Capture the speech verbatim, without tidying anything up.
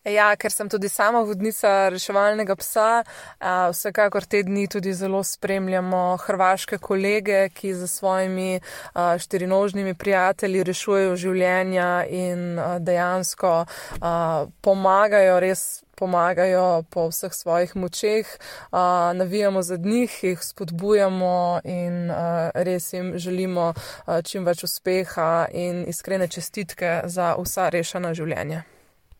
Ja, ker sem tudi sama vodnica reševalnega psa, vsekakor te dni tudi zelo spremljamo hrvaške kolege, ki za svojimi štirinožnimi prijatelji rešujejo življenja in dejansko pomagajo, res pomagajo po vseh svojih močeh. Navijamo za njih, jih spodbujamo in res jim želimo čim več uspeha in iskrene čestitke za vsa rešena življenja.